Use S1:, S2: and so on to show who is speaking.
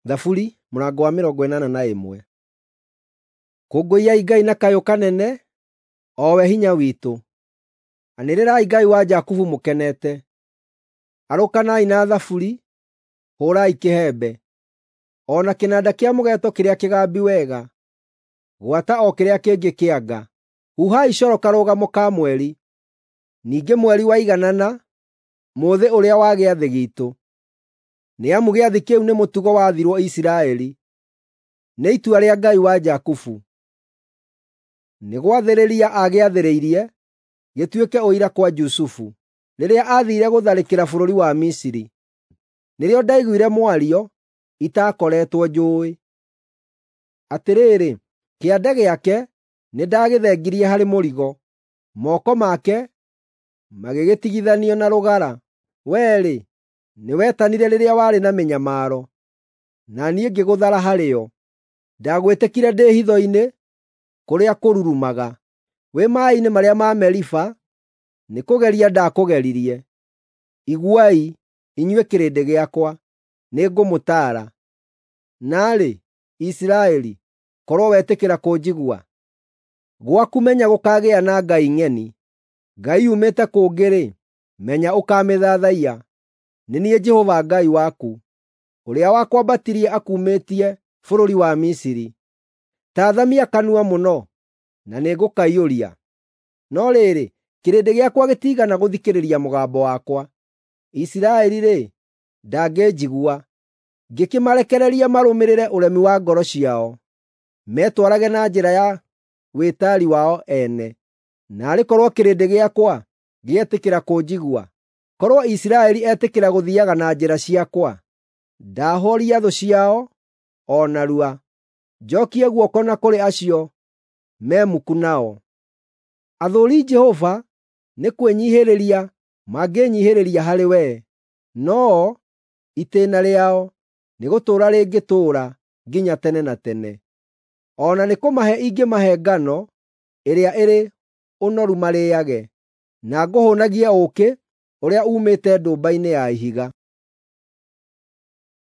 S1: Thaburi mũrango wa 81. Kũngũiyai Ngai na kayũ kanene, o we hinya witũ. Anĩrĩrai Ngai wa Jakubu mũkenete. Arũkanai na thaburi, hũũrai kĩhembe, o na kĩnanda kĩa mũgeeto kĩrĩa kĩgambi wega, gwata o kĩrĩa kĩngĩ kĩa nga. Huhai coro karũgamo ka mweri, ningĩ mweri waiganana, mũthĩ ũrĩa wa gĩathĩ giitũ. Nĩ amu gĩathĩ kĩu nĩ mũtugo waathirwo Isiraeli, nĩ itua rĩa Ngai wa Jakubu. Nĩ gwathĩrĩria aagĩathĩrĩirie gĩtuĩke ũira kwa Jusufu, rĩrĩa aathiire gũtharĩkĩra bũrũri wa Misiri. Nĩrĩo ndaiguire mwario itaakoretwo njũũĩ. Atĩrĩrĩ, kĩande gĩake nĩndagĩthengirie harĩ mũrigo, moko make magĩgĩtigithanio na rũgara. Wee-rĩ, nĩwetanire rĩrĩa warĩ na mĩnyamaro, na niĩ ngĩgũthara harĩ yo. Ndagwĩtĩkire ndĩ hitho-inĩ kũrĩa kũrurumaga, wĩ maaĩ-inĩ marĩa ma Meriba nĩkũgeria ndakũgeririe. Iguai, inyuĩ kĩrĩndĩ gĩakwa, nĩngũmũtaara. Naarĩ, Isiraeli, korwo wetĩkĩra kũnjigua! Gwaku menya gũkaagĩa na ngai ng'eni. Ngai yumĩte kũngĩ-rĩ, menya ũkaamĩthathaiya. Nĩ niĩ Jehova Ngai waku, ũrĩa wakwambatirie akuumĩtie bũrũri wa Misiri. Ta athamia kanua mũno, na nĩngũkaiyũria. No rĩrĩ, kĩrĩndĩ gĩakwa gĩtiigana gũthikĩrĩria mũgambo wakwa. Isiraeli-rĩ, ndangĩnjigua. Ngĩkĩmarekereria marũmĩrĩre ũremi wa ngoro ciao, metwarage na njĩra ya wĩtaari wao ene. Naarĩ korwo kĩrĩndĩ gĩakwa gĩetĩkĩra kũnjigua! Korwo Isiraeli etĩkĩra gũthiiaga na njĩra ciakwa! Ndaahoria thũ ciao o narua, njookie guoko na kũrĩ acio me muku nao. Athũũri Jehova nĩ kwĩnyiihĩrĩria mangĩĩnyiihĩrĩria harĩ we, no-o itĩĩna rĩao nĩgũtũũra rĩngĩtũũra nginya tene na tene. O na nĩkũmahe ingĩmahe ngano ĩrĩa ĩrĩ ũnoru marĩĩage, na ngũhũũnagie ũũkĩ ũrĩa uumĩte ndũmba-inĩ ya ihiga.